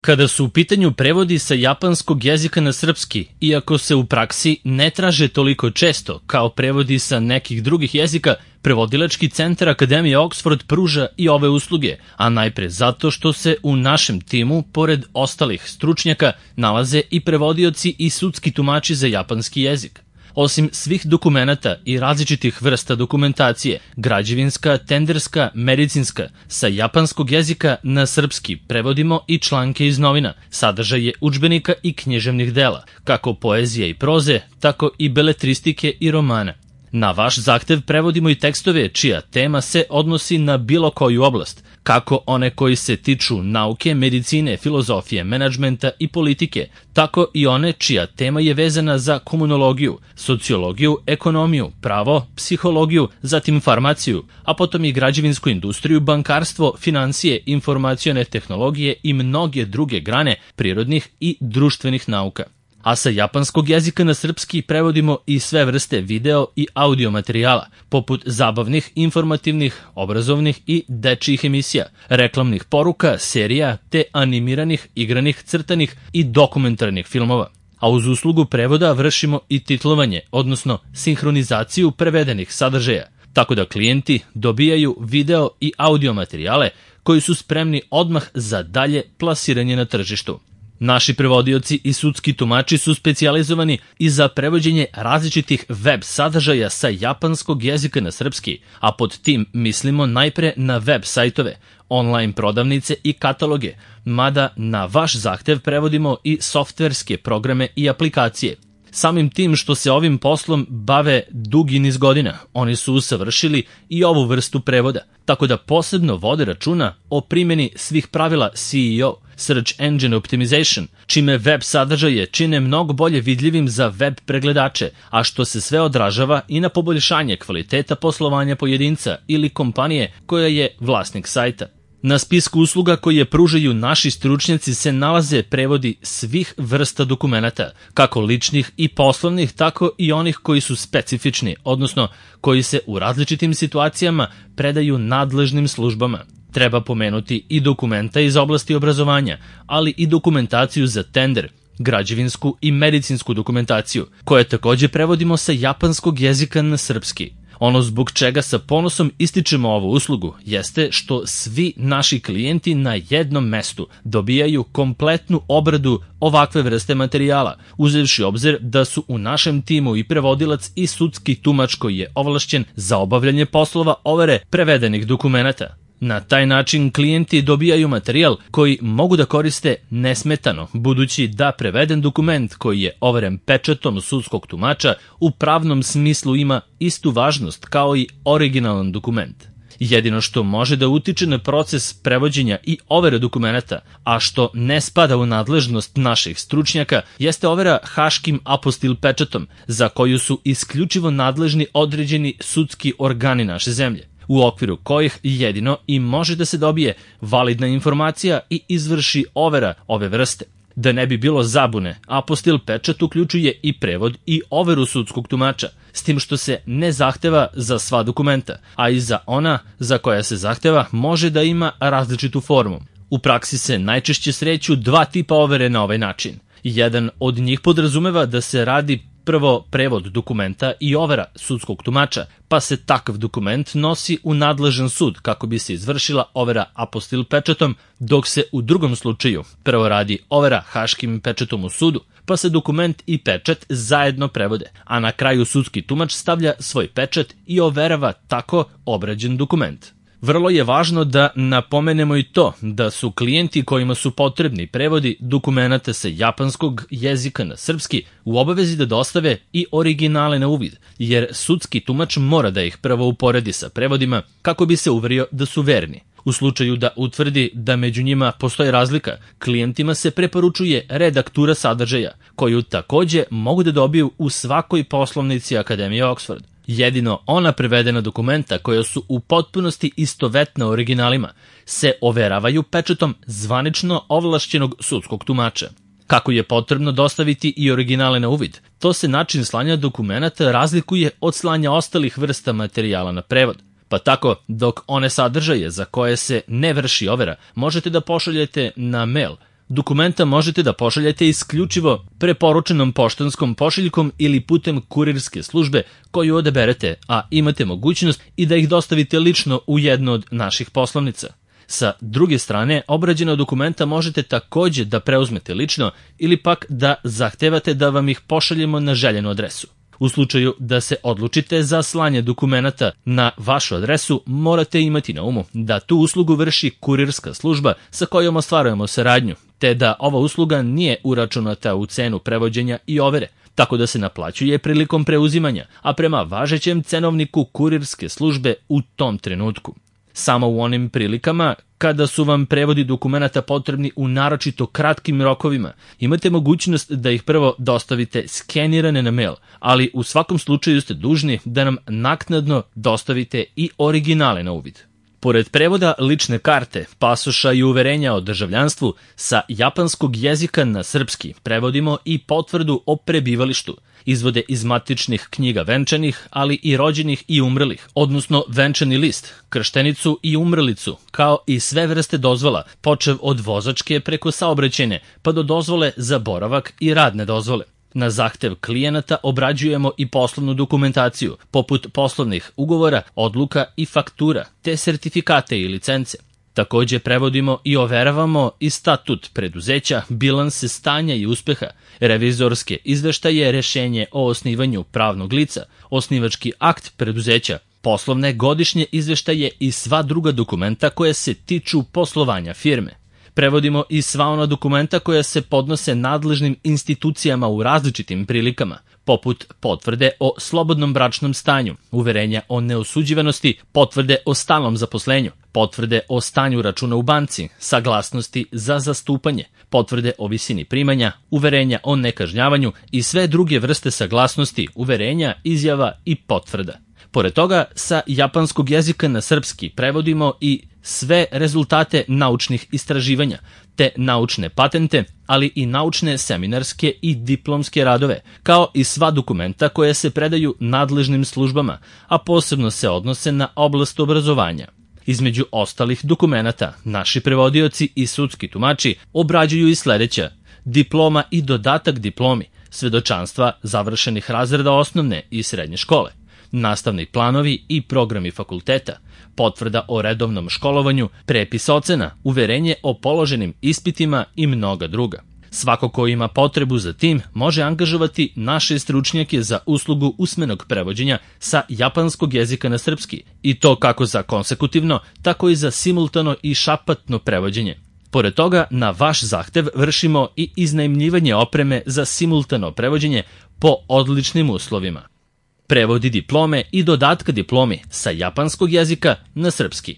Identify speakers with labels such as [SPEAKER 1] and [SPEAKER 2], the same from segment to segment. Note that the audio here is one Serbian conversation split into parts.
[SPEAKER 1] Kada su u pitanju prevodi sa japanskog jezika na srpski, iako se u praksi ne traže toliko često kao prevodi sa nekih drugih jezika, Prevodilački centar Akademije Oxford pruža i ove usluge, a najpre zato što se u našem timu, pored ostalih stručnjaka, nalaze i prevodioci i sudski tumači za japanski jezik. Osim svih dokumenata i različitih vrsta dokumentacije, građevinska, tenderska, medicinska, sa japanskog jezika na srpski prevodimo i članke iz novina, sadržaje udžbenika i književnih dela, kako poezije i proze, tako i beletristike i romana. Na vaš zahtev prevodimo i tekstove čija tema se odnosi na bilo koju oblast, kako one koji se tiču nauke, medicine, filozofije, menadžmenta i politike, tako i one čija tema je vezana za komunologiju, sociologiju, ekonomiju, pravo, psihologiju, zatim farmaciju, a potom i građevinsku industriju, bankarstvo, financije, informacione tehnologije i mnoge druge grane prirodnih i društvenih nauka. A sa japanskog jezika na srpski prevodimo i sve vrste video i audio materijala, poput zabavnih, informativnih, obrazovnih i dečijih emisija, reklamnih poruka, serija, te animiranih, igranih, crtanih i dokumentarnih filmova. A uz uslugu prevoda vršimo i titlovanje, odnosno sinhronizaciju prevedenih sadržaja, tako da klijenti dobijaju video i audio materijale koji su spremni odmah za dalje plasiranje na tržištu. Naši prevodioci i sudski tumači su specijalizovani i za prevođenje različitih web sadržaja sa japanskog jezika na srpski, a pod tim mislimo najpre na web sajtove, online prodavnice i kataloge, mada na vaš zahtev prevodimo i softverske programe i aplikacije. Samim tim što se ovim poslom bave dugi niz godina, oni su usavršili i ovu vrstu prevoda, tako da posebno vode računa o primjeni svih pravila SEO, Search Engine Optimization, čime web sadržaje čine mnogo bolje vidljivim za web pregledače, a što se sve odražava i na poboljšanje kvaliteta poslovanja pojedinca ili kompanije koja je vlasnik sajta. Na spisku usluga koje pružaju naši stručnjaci se nalaze prevodi svih vrsta dokumenata, kako ličnih i poslovnih, tako i onih koji su specifični, odnosno koji se u različitim situacijama predaju nadležnim službama. Treba pomenuti i dokumenta iz oblasti obrazovanja, ali i dokumentaciju za tender, građevinsku i medicinsku dokumentaciju, koje takođe prevodimo sa japanskog jezika na srpski. Ono zbog čega sa ponosom ističemo ovu uslugu jeste što svi naši klijenti na jednom mestu dobijaju kompletnu obradu ovakve vrste materijala, uzevši obzir da su u našem timu i prevodilac i sudski tumač koji je ovlašćen za obavljanje poslova overe prevedenih dokumenata. Na taj način klijenti dobijaju materijal koji mogu da koriste nesmetano, budući da preveden dokument koji je overen pečatom sudskog tumača u pravnom smislu ima istu važnost kao i originalan dokument. Jedino što može da utiče na proces prevođenja i overe dokumenata, a što ne spada u nadležnost naših stručnjaka, jeste overa haškim apostil pečatom, za koju su isključivo nadležni određeni sudski organi naše zemlje, u okviru kojih jedino i može da se dobije validna informacija i izvrši overa ove vrste. Da ne bi bilo zabune, apostil pečat uključuje i prevod i overu sudskog tumača, s tim što se ne zahteva za sva dokumenta, a i za ona za koja se zahteva može da ima različitu formu. U praksi se najčešće sreću dva tipa overe na ovaj način. Jedan od njih podrazumeva da se radi prvo prevod dokumenta i overa sudskog tumača, pa se takav dokument nosi u nadležan sud kako bi se izvršila overa apostil pečatom, dok se u drugom slučaju prvo radi overa haškim pečatom u sudu, pa se dokument i pečat zajedno prevode, a na kraju sudski tumač stavlja svoj pečat i overava tako obrađen dokument. Vrlo je važno da napomenemo i to da su klijenti kojima su potrebni prevodi dokumenata sa japanskog jezika na srpski u obavezi da dostave i originale na uvid, jer sudski tumač mora da ih prvo uporedi sa prevodima kako bi se uverio da su verni. U slučaju da utvrdi da među njima postoji razlika, klijentima se preporučuje redaktura sadržaja, koju takođe mogu da dobiju u svakoj poslovnici Akademije Oxford. Jedino ona prevedena dokumenta koja su u potpunosti istovetna originalima se overavaju pečatom zvanično ovlašćenog sudskog tumača. Kako je potrebno dostaviti i originale na uvid, to se način slanja dokumenata razlikuje od slanja ostalih vrsta materijala na prevod. Pa tako, dok one sadržaje za koje se ne vrši overa možete da pošaljete na mail, Dokumenta možete da pošaljete isključivo preporučenom poštanskom pošiljkom ili putem kurirske službe koju odaberete, a imate mogućnost i da ih dostavite lično u jednu od naših poslovnica. Sa druge strane, obrađena dokumenta možete takođe da preuzmete lično ili pak da zahtevate da vam ih pošaljemo na željenu adresu. U slučaju da se odlučite za slanje dokumenata na vašu adresu, morate imati na umu da tu uslugu vrši kurirska služba sa kojom ostvarujemo saradnju, te da ova usluga nije uračunata u cenu prevođenja i overe, tako da se naplaćuje prilikom preuzimanja, a prema važećem cenovniku kurirske službe u tom trenutku. Samo u onim prilikama kada su vam prevodi dokumenata potrebni u naročito kratkim rokovima, imate mogućnost da ih prvo dostavite skenirane na mail, ali u svakom slučaju ste dužni da nam naknadno dostavite i originale na uvid. Pored prevoda lične karte, pasoša i uverenja o državljanstvu, sa japanskog jezika na srpski prevodimo i potvrdu o prebivalištu, izvode iz matičnih knjiga venčanih, ali i rođenih i umrlih, odnosno venčani list, krštenicu i umrlicu, kao i sve vrste dozvola, počev od vozačke preko saobraćajne, pa do dozvole za boravak i radne dozvole. Na zahtev klijenata obrađujemo i poslovnu dokumentaciju, poput poslovnih ugovora, odluka i faktura, te sertifikate i licence. Takođe prevodimo i overavamo i statut preduzeća, bilanse stanja i uspeha, revizorske izveštaje, rešenje o osnivanju pravnog lica, osnivački akt preduzeća, poslovne godišnje izveštaje i sva druga dokumenta koja se tiču poslovanja firme. Prevodimo i sva ona dokumenta koja se podnose nadležnim institucijama u različitim prilikama, poput potvrde o slobodnom bračnom stanju, uverenja o neosuđivanosti, potvrde o stalnom zaposlenju, potvrde o stanju računa u banci, saglasnosti za zastupanje, potvrde o visini primanja, uverenja o nekažnjavanju i sve druge vrste saglasnosti, uverenja, izjava i potvrda. Pored toga, sa japanskog jezika na srpski prevodimo i sve rezultate naučnih istraživanja, te naučne patente, ali i naučne seminarske i diplomske radove, kao i sva dokumenta koja se predaju nadležnim službama, a posebno se odnose na oblast obrazovanja. Između ostalih dokumenata, naši prevodioci i sudski tumači obrađuju i sledeća: diploma i dodatak diplomi, svedočanstva završenih razreda osnovne i srednje škole, nastavni planovi i programi fakulteta, potvrda o redovnom školovanju, prepis ocena, uverenje o položenim ispitima i mnoga druga. Svako ko ima potrebu za tim može angažovati naše stručnjake za uslugu usmenog prevođenja sa japanskog jezika na srpski, i to kako za konsekutivno, tako i za simultano i šapatno prevođenje. Pored toga, na vaš zahtev vršimo i iznajmljivanje opreme za simultano prevođenje po odličnim uslovima. Prevodi diplome i dodatka diplomi sa japanskog jezika na srpski.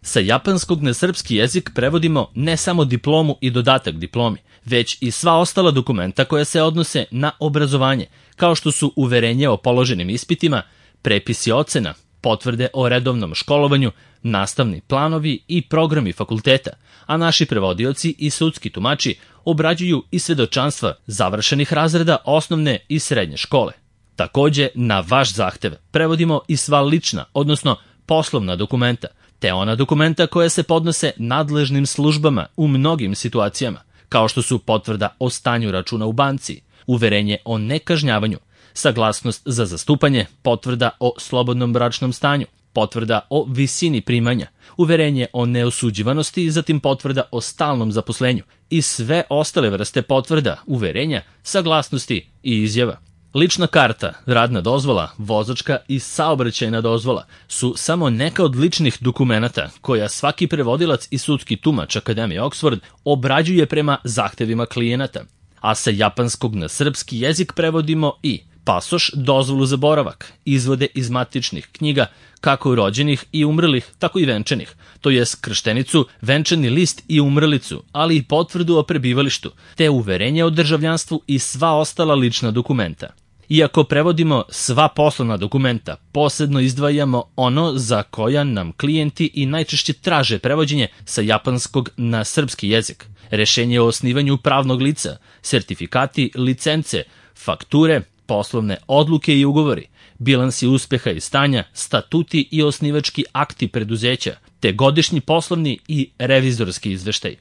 [SPEAKER 1] Sa japanskog na srpski jezik prevodimo ne samo diplomu i dodatak diplomi, već i sva ostala dokumenta koja se odnose na obrazovanje, kao što su uverenje o položenim ispitima, prepisi ocena, potvrde o redovnom školovanju, nastavni planovi i programi fakulteta, a naši prevodioci i sudski tumači obrađuju i svedočanstva završenih razreda osnovne i srednje škole. Takođe, na vaš zahtev prevodimo i sva lična, odnosno poslovna dokumenta, te ona dokumenta koja se podnose nadležnim službama u mnogim situacijama, kao što su potvrda o stanju računa u banci, uverenje o nekažnjavanju, saglasnost za zastupanje, potvrda o slobodnom bračnom stanju, potvrda o visini primanja, uverenje o neosuđivanosti, zatim potvrda o stalnom zaposlenju i sve ostale vrste potvrda, uverenja, saglasnosti i izjava. Lična karta, radna dozvola, vozačka i saobraćajna dozvola su samo neka od ličnih dokumenata koja svaki prevodilac i sudski tumač Akademije Oxford obrađuje prema zahtevima klijenata, a sa japanskog na srpski jezik prevodimo i pasoš, dozvolu za boravak, izvode iz matičnih knjiga, kako rođenih i umrlih, tako i venčanih, to jest krštenicu, venčani list i umrlicu, ali i potvrdu o prebivalištu, te uverenje o državljanstvu i sva ostala lična dokumenta. Iako prevodimo sva poslovna dokumenta, posebno izdvajamo ono za koja nam klijenti i najčešće traže prevođenje sa japanskog na srpski jezik, rešenje o osnivanju pravnog lica, sertifikati, licence, fakture, poslovne odluke i ugovori, bilansi uspeha i stanja, statuti i osnivački akti preduzeća, te godišnji poslovni i revizorski izveštaj.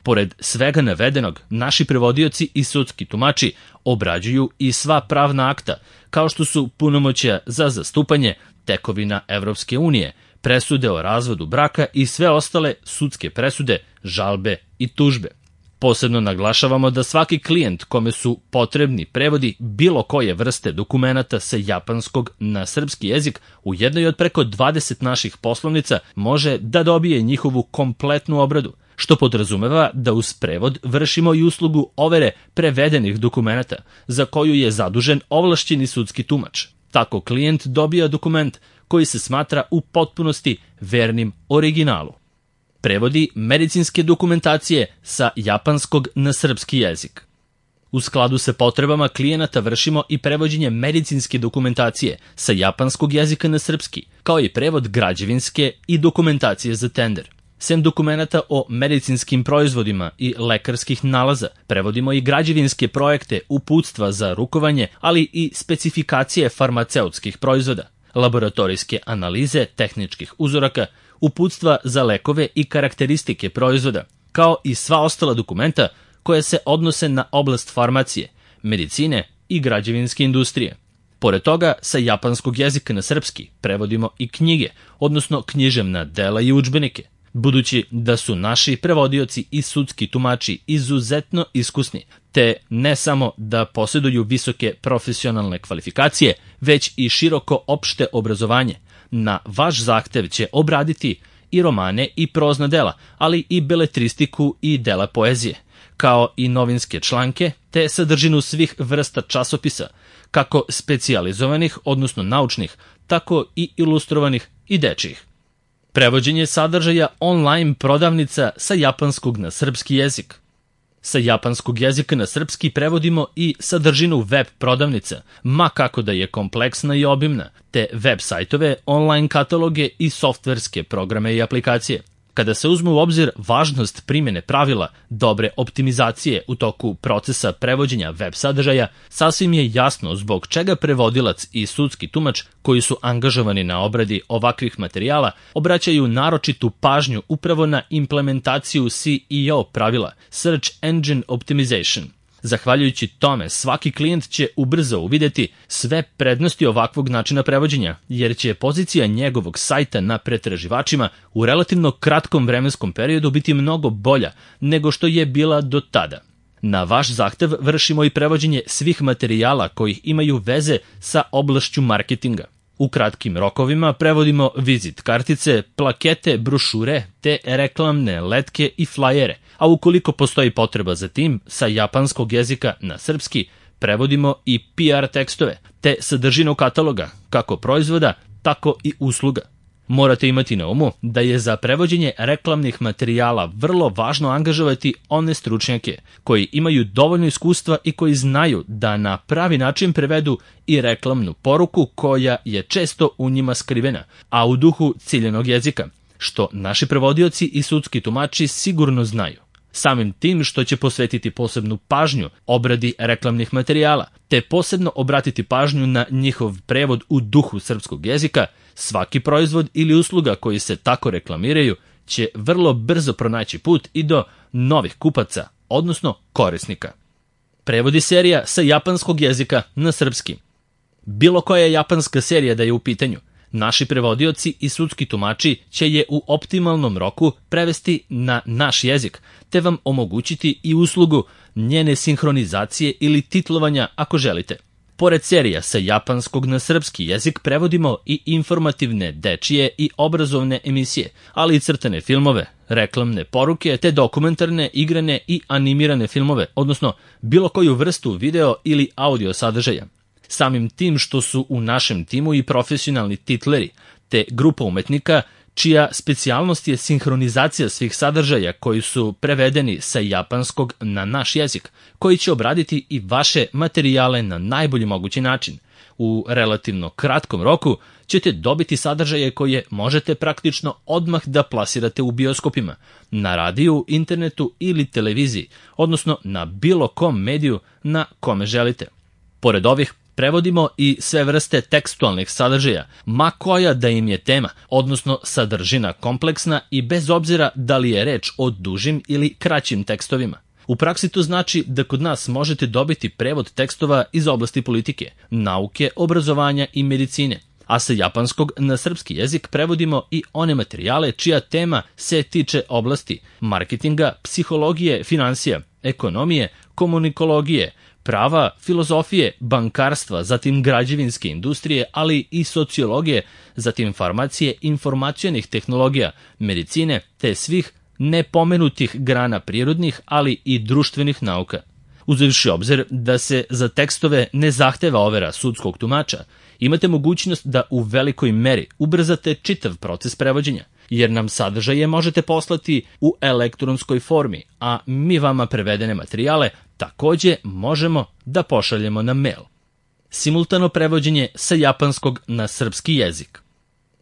[SPEAKER 1] Pored svega navedenog, naši prevodioci i sudski tumači obrađuju i sva pravna akta, kao što su punomoćja za zastupanje, tekovina Evropske unije, presude o razvodu braka i sve ostale sudske presude, žalbe i tužbe. Posebno naglašavamo da svaki klijent kome su potrebni prevodi bilo koje vrste dokumenata sa japanskog na srpski jezik u jednoj od preko 20 naših poslovnica može da dobije njihovu kompletnu obradu, što podrazumeva da uz prevod vršimo i uslugu overe prevedenih dokumenata, za koju je zadužen ovlašćeni sudski tumač. Tako klijent dobija dokument koji se smatra u potpunosti vernim originalu. Prevodi medicinske dokumentacije sa japanskog na srpski jezik. U skladu sa potrebama klijenata vršimo i prevođenje medicinske dokumentacije sa japanskog jezika na srpski, kao i prevod građevinske i dokumentacije za tender. Sem dokumenata o medicinskim proizvodima i lekarskih nalaza, prevodimo i građevinske projekte, uputstva za rukovanje, ali i specifikacije farmaceutskih proizvoda, laboratorijske analize tehničkih uzoraka, uputstva za lekove i karakteristike proizvoda, kao i sva ostala dokumenta koja se odnose na oblast farmacije, medicine i građevinske industrije. Pored toga, sa japanskog jezika na srpski prevodimo i knjige, odnosno književna dela i udžbenike, budući da su naši prevodioci i sudski tumači izuzetno iskusni, te ne samo da posjeduju visoke profesionalne kvalifikacije, već i široko opšte obrazovanje. Na vaš zahtev će obraditi i romane i prozna dela, ali i beletristiku i dela poezije, kao i novinske članke, te sadržinu svih vrsta časopisa, kako specijalizovanih, odnosno naučnih, tako i ilustrovanih i dečijih. Prevođenje sadržaja online prodavnica sa japanskog na srpski jezik. Sa japanskog jezika na srpski prevodimo i sadržinu web prodavnica, ma kako da je kompleksna i obimna, te web sajtove, online kataloge i softverske programe i aplikacije. Kada se uzme u obzir važnost primjene pravila dobre optimizacije u toku procesa prevođenja web sadržaja, sasvim je jasno zbog čega prevodilac i sudski tumač koji su angažovani na obradi ovakvih materijala obraćaju naročitu pažnju upravo na implementaciju SEO pravila, Search Engine Optimization. Zahvaljujući tome, svaki klijent će ubrzo uvideti sve prednosti ovakvog načina prevođenja, jer će pozicija njegovog sajta na pretraživačima u relativno kratkom vremenskom periodu biti mnogo bolja nego što je bila do tada. Na vaš zahtev vršimo i prevođenje svih materijala koji imaju veze sa oblašću marketinga. U kratkim rokovima prevodimo vizit kartice, plakete, brošure te reklamne letke i flajere, a ukoliko postoji potreba za tim, sa japanskog jezika na srpski prevodimo i PR tekstove, te sadržinu kataloga, kako proizvoda, tako i usluga. Morate imati na umu da je za prevođenje reklamnih materijala vrlo važno angažovati one stručnjake koji imaju dovoljno iskustva i koji znaju da na pravi način prevedu i reklamnu poruku koja je često u njima skrivena, a u duhu ciljanog jezika, što naši prevodioci i sudski tumači sigurno znaju. Samim tim što će posvetiti posebnu pažnju obradi reklamnih materijala, te posebno obratiti pažnju na njihov prevod u duhu srpskog jezika, svaki proizvod ili usluga koji se tako reklamiraju će vrlo brzo pronaći put i do novih kupaca, odnosno korisnika. Prevodi serija sa japanskog jezika na srpski. Bilo koja japanska serija da je u pitanju, naši prevodioci i sudski tumači će je u optimalnom roku prevesti na naš jezik, te vam omogućiti i uslugu njene sinhronizacije ili titlovanja ako želite. Pored serija sa japanskog na srpski jezik prevodimo i informativne, dečije i obrazovne emisije, ali i crtane filmove, reklamne poruke, te dokumentarne, igrane i animirane filmove, odnosno bilo koju vrstu video ili audio sadržaja. Samim tim što su u našem timu i profesionalni titleri, te grupa umetnika čija specijalnost je sinhronizacija svih sadržaja koji su prevedeni sa japanskog na naš jezik, koji će obraditi i vaše materijale na najbolji mogući način. U relativno kratkom roku ćete dobiti sadržaje koje možete praktično odmah da plasirate u bioskopima, na radiju, internetu ili televiziji, odnosno na bilo kom mediju na kome želite. Pored ovih Prevodimo i sve vrste tekstualnih sadržaja, ma koja da im je tema, odnosno sadržina kompleksna i bez obzira da li je reč o dužim ili kraćim tekstovima. U praksi to znači da kod nas možete dobiti prevod tekstova iz oblasti politike, nauke, obrazovanja i medicine, a sa japanskog na srpski jezik prevodimo i one materijale čija tema se tiče oblasti marketinga, psihologije, finansija, ekonomije, komunikologije, prava, filozofije, bankarstva, zatim građevinske industrije, ali i sociologije, zatim farmacije, informacionih tehnologija, medicine, te svih nepomenutih grana prirodnih, ali i društvenih nauka. Uzevši obzir da se za tekstove ne zahteva overa sudskog tumača, imate mogućnost da u velikoj meri ubrzate čitav proces prevođenja, jer nam sadržaje možete poslati u elektronskoj formi, a mi vama prevedene materijale takođe možemo da pošaljemo na mail. Simultano prevođenje sa japanskog na srpski jezik.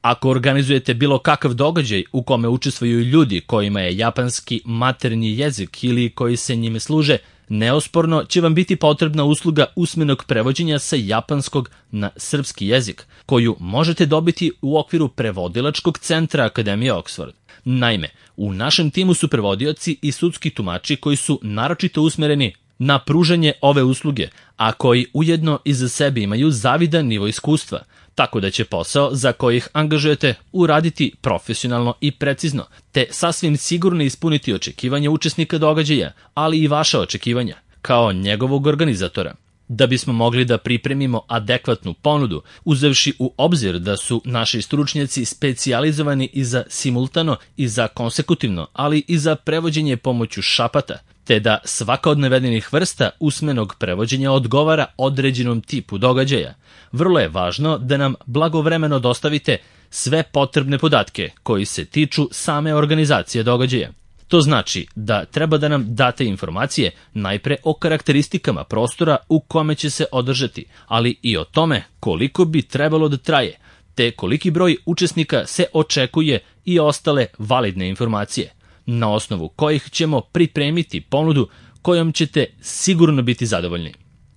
[SPEAKER 1] Ako organizujete bilo kakav događaj u kome učestvuju ljudi kojima je japanski maternji jezik ili koji se njime služe, neosporno će vam biti potrebna usluga usmenog prevođenja sa japanskog na srpski jezik, koju možete dobiti u okviru prevodilačkog centra Akademije Oxford. Naime, u našem timu su prevodioci i sudski tumači koji su naročito usmereni na pružanje ove usluge, a koji ujedno iza sebe imaju zavidan nivo iskustva, tako da će posao za koji ih angažujete uraditi profesionalno i precizno, te sasvim sigurno ispuniti očekivanja učesnika događaja, ali i vaša očekivanja, kao njegovog organizatora. Da bismo mogli da pripremimo adekvatnu ponudu, uzevši u obzir da su naši stručnjaci specijalizovani i za simultano i za konsekutivno, ali i za prevođenje pomoću šapata, te da svaka od navedenih vrsta usmenog prevođenja odgovara određenom tipu događaja, vrlo je važno da nam blagovremeno dostavite sve potrebne podatke koji se tiču same organizacije događaja. To znači da treba da nam date informacije najpre o karakteristikama prostora u kome će se održati, ali i o tome koliko bi trebalo da traje, te koliki broj učesnika se očekuje i ostale validne informacije, na osnovu kojih ćemo pripremiti ponudu kojom ćete sigurno biti zadovoljni.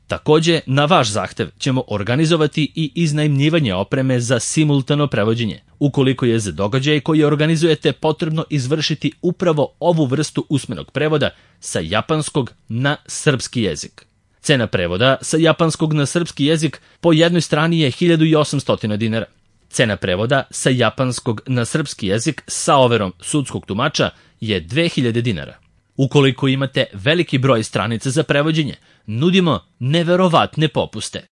[SPEAKER 1] Takođe, na vaš zahtev ćemo organizovati i iznajmljivanje opreme za simultano prevođenje, ukoliko je za događaj koji organizujete potrebno izvršiti upravo ovu vrstu usmenog prevoda sa japanskog na srpski jezik. Cena prevoda sa japanskog na srpski jezik po jednoj strani je 1800 dinara. Cena prevoda sa japanskog na srpski jezik sa overom sudskog tumača je 2000 dinara. Ukoliko imate veliki broj stranica za prevođenje, nudimo neverovatne popuste.